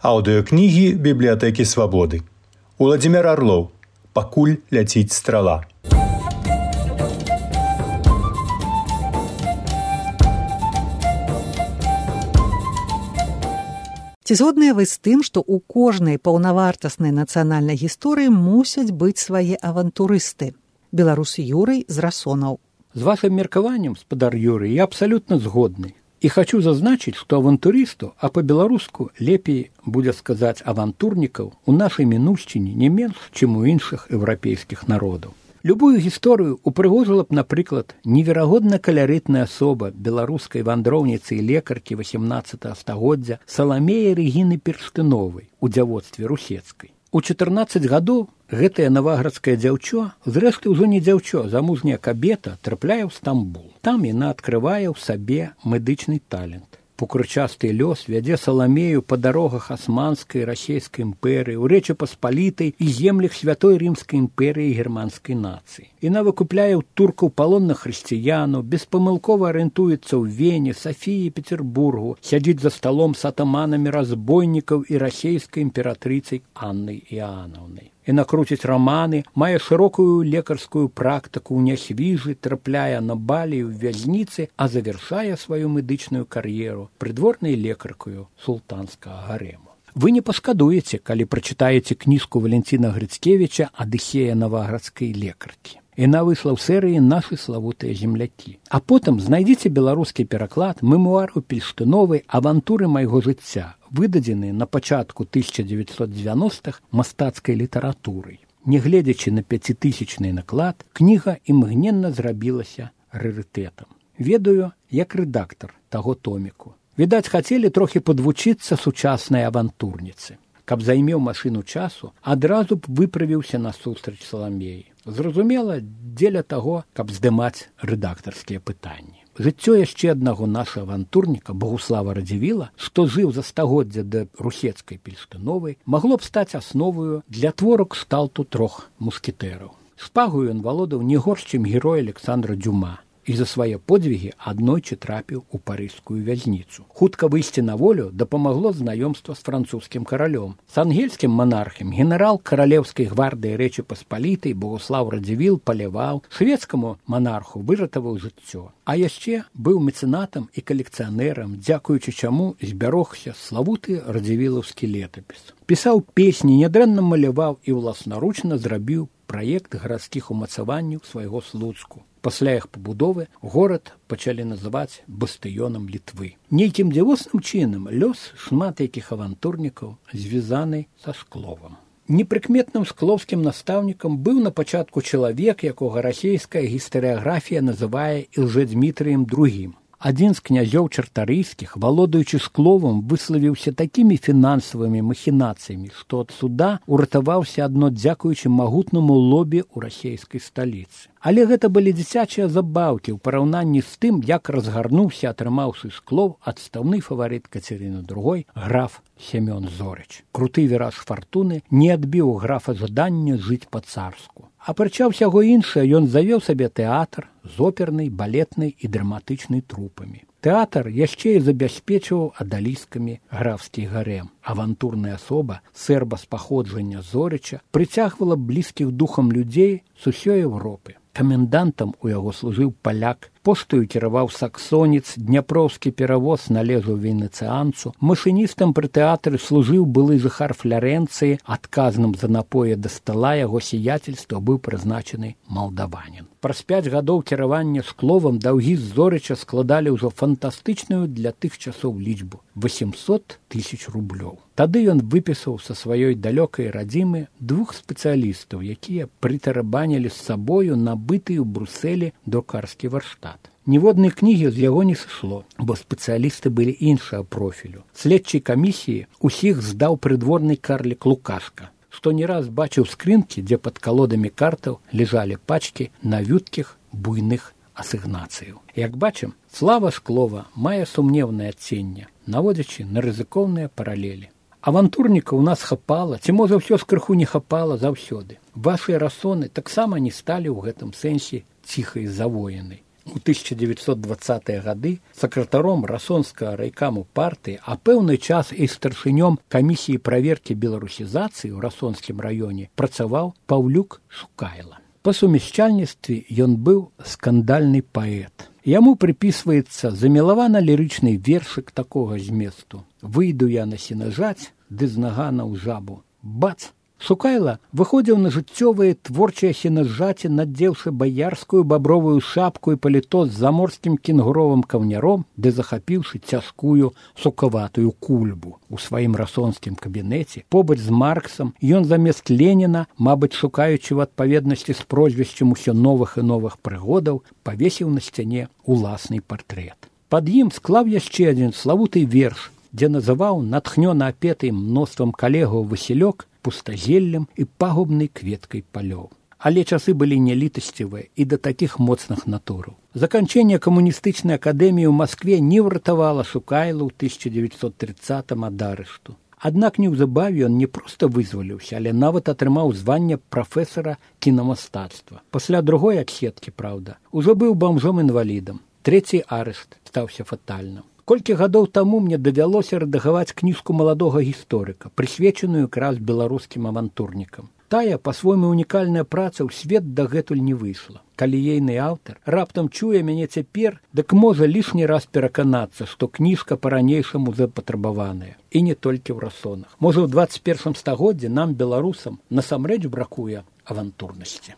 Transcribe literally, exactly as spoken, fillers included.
Аўдыёкнігі бібліятэкі свабоды. Уладзімир Арлоў. Пакуль ляціць страла. Ці згодныя вы з тым, што ў кожнай паўнавартаснай нацыянальнай гісторыі мусяць быць свае авантурысты? Беларус Юрый з Расонаў. З вашым меркаваннем, спадар Юрый, я абсалютна згодны. І хочу зазначыць, што авантурысту, а па-беларуску лепей будзе сказаць авантурнікаў у нашай мінуўшчыне не менш, чым у іншых еўрапейскіх народаў. Любую гісторыю упрыгожыла б, напрыклад, неверагодна каларытная асоба беларускай вандроўніцы і лекаркі васямнаццатага стагоддзя Саламея Рэгіны Перштыновай у дзявоцтве Русецкай. У чатырнаццаць гадоў гэтая наваградская дзяўчо, зрэшты ўжо не дзяўчо, замужняя кабета, трапляе ў Стамбул. Там яна адкрывае ў сабе медычны талент. Пукрычасты лёс вядзе Саламею па дарогах асманскай расійскай імперыі, у Рэчы Паспалітай і землях святой рымскай імперыі і германскай нацыі. Яна выкупляе ў туркаў палонных хрысціянаў, беспамылкова арыентуецца ў Вене, Сафіі, Петербургу, сядзіць за сталом з атаманамі разбойнікаў і расійскай імператрыцай Аннай Іанаўнай. Яна круціць раманы, мае шырокую лекарскую практыку ў Нясвіжы, трапляе на балі ў вязніцы, а завяршае сваю медычную кар'еру прыдворнай лекаркаю султанскага гарэму. Вы не пашкадуеце, калі прачытаеце кніжку Валянціна Грыцкевіча «Адыхея наваградскай лекаркі». Яна выйшла ў серыі «Нашы славутыя землякі». А потым знайдзіце беларускі пераклад мемуару Перштыновай «Авантуры майго жыцця», выдадзены на пачатку тысяча дзевяцьсот дзевяностых мастацкай літаратурай. Нягледзячы на пяцітысячны наклад, кніга імгненна зрабілася рарытэтам. Ведаю, як рэдактар таго томіку. Відаць, хацелі трохі падвучыцца сучаснай авантурніцы. Каб займеў машыну часу, адразу б выправіўся насустрач Саламеі. Зразумела, дзеля таго, каб здымаць рэдактарскія пытанні. Жыццё яшчэ аднаго нашага авантурніка, Богуслава Радзівіла, што жыў за стагоддзя да Русецкай Перштыновай, магло б стаць асноваю для твору кшталту трох мускетэраў. Шпагою ён валодаў не горш, чым герой Александра Дюма, і за свае подзвігі аднойчы трапіў у парыжскую вязніцу. Хутка выйсці на волю дапамагло знаёмства з французскім каралём. З ангельскім манархам генерал каралеўскай гвардыі Рэчы Паспалітай Богуслав Радзівіл паляваў, шведскаму манарху выратаваў жыццё. А яшчэ быў мецэнатам і калекцыянерам, дзякуючы чаму збярогся славуты радзівілаўскі летапіс. Пісаў песні, нядрэнна маляваў і ўласнаручна зрабіў праект гарадскіх умацаванняў свайго Слуцку. Пасля іх пабудовы горад пачалі называць бастыёнам Літвы. Нейкім дзівосным чынам лёс шмат якіх авантурнікаў звязаны са Шкловам. Непрыкметным шклоўскім настаўнікам быў на пачатку чалавек, якога расійская гістарыяграфія называе Ілжэдзьмітрыем другім. Адзін з князёў чартарыйскіх, валодаючы Шкловам, выславіўся такімі фінансавымі махінацыямі, што ад суда уратаваўся адно дзякуючы магутнаму лобі ў расійскай сталіцы. Але гэта былі дзіцячыя забаўкі ў параўнанні з тым, як разгарнуўся, атрымаўшы Шклоў, адстаўны фаварыт Кацярыны другой, граф Семён Зорыч. Круты віраж фартуны не адбіў графа жадання жыць па-царску. Апрача ўсяго іншае, ён завёў сабе тэатр з опернай, балетнай і драматычнай трупамі. Тэатр яшчэ і забяспечваў адаліскамі графскі гарэм. Авантурная асоба, сэрба з паходжання Зорыча, прыцягвала блізкіх духам людзей з усёй Еўропы. Камендантам у яго служыў паляк, поштаю кіраваў саксонец, дняпроўскі перавоз належаў венецыянцу, машыністам пры тэатры служыў былы жыхар Флярэнцыі, адказным за напоі да стала яго сіяцельства быў прызначаны малдаванін. Праз пяць гадоў кіравання Шкловам даўгі з Зорыча складалі ўжо фантастычную для тых часоў лічбу – восемьсот тысяч рублёў. Тады ён выпісаў са сваёй далёкай радзімы двух спецыялістаў, якія прытарабанілі з сабою набыты ў Брусэлі друкарскі варштат. Ніводнай кнігі з яго не сышло, бо спецыялісты былі іншага профілю. Следчай камісіі усіх здаў прыдворны карлік Лукашка, што не раз бачыў скрынкі, дзе пад калодамі картаў ляжалі пачкі навюткіх буйных асігнацыяў. Як бачым, слава Шклова мае сумнеўнае адценне, наводзячы на рызыкоўныя паралелі. Авантурнікаў у нас хапала, ці можа ўсё з крыху не хапала заўсёды. Вашыя расоны таксама не сталі ў гэтым сэнсе ціхай завоенай. У тысяча девятьсот двадцатыя гады сакратаром расонскага райкаму партыі, а пэўны час і старшынём камісіі праверкі беларусізацыі ў расонскім раёне працаваў Паўлюк Шукайла. Па сумяшчальніцтве ён быў скандальны паэт. Яму прыпісваецца замілавана-лірычны вершык такога зместу: «Выйду я на сенажаць, ды з нагана ў жабу. Бац!» Шукайла выходзіў на жыццёвыя творчыя сенажаці, надзеўшы баярскую бабровую шапку і паліто з заморскім кенгуровым каўняром, ды захапіўшы цяжкую сукаватую кульбу. У сваім расонскім кабінеце побач з Марксам ён замест Леніна, мабыць, шукаючы ў адпаведнасці з прозвішчам усё новых і новых прыгодаў, павесіў на сцяне уласны партрэт. Пад ім склаў яшчэ адзін славуты верш, дзе называў натхнёна апеты мноствам калегаў Васілёк пустазеллем і пагубнай кветкай палёў. Але часы былі нялітасцівыя і да такіх моцных натураў. Заканчэнне камуністычнай акадэміі ў Маскве не ўратавала Шукайлу ў тысяча девятьсот тридцатым ад арышту. Аднак неўзабаве ён не проста вызваліўся, але нават атрымаў званне прафесара кінамастацтва. Пасля другой адсеткі, праўда, ужо быў бамжом-інвалідам. Трэці арышт стаўся фатальным. Колькі гадоў таму мне давялося рэдагаваць кніжку маладога гісторыка, прысвечаную якраз беларускім авантурнікам. Тая, па-свойму унікальная праца ў свет дагэтуль не выйшла. Калі ейны аўтар раптам чуе мяне цяпер, дык можа лішні раз пераканацца, што кніжка па-ранейшаму запатрабаваная. І не толькі ў расонах. Можа, у дваццаць першым стагоддзі нам, беларусам, насамрэч бракуе авантурнасці.